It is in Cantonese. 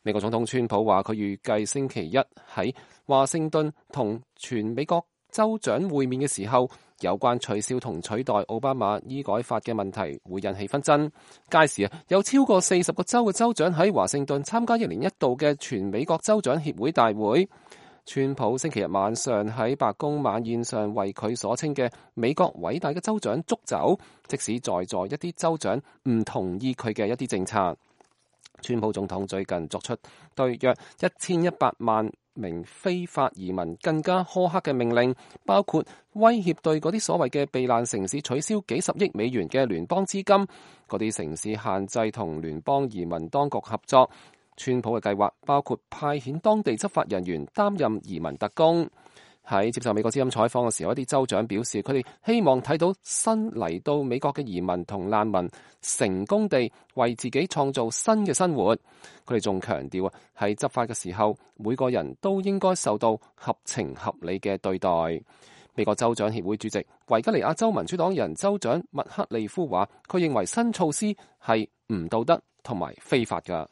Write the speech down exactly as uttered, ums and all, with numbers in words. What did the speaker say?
美國總統川普話，佢預計星期一喺華盛頓同全美國州長會面嘅時候，有關取消同取代奧巴馬醫改法嘅問題會引起紛爭。屆時啊，有超過四十個州嘅州長喺華盛頓參加一年一度嘅全美國州長協會大會。川普星期日晚上喺白宮晚宴上為佢所稱嘅美國偉大嘅州長祝酒，即使在座一啲州長唔同意佢嘅一啲政策。川普總統最近作出對約一千一百萬名非法移民更加苛刻嘅命令，包括威脅對嗰啲所謂嘅避難城市取消幾十億美元嘅聯邦資金，嗰啲城市限制同聯邦移民當局合作。川普嘅計劃包括派遣當地執法人員擔任移民特工。喺接受美國之音採訪嘅時候，一啲州長表示，佢哋希望睇到新嚟到美國嘅移民同難民成功地為自己創造新嘅生活。佢哋仲強調啊，喺執法嘅時候，每個人都應該受到合情合理嘅對待。美國州長協會主席維吉尼亞州民主黨人州長麥克利夫話，佢認為新措施係唔道德同埋非法㗎。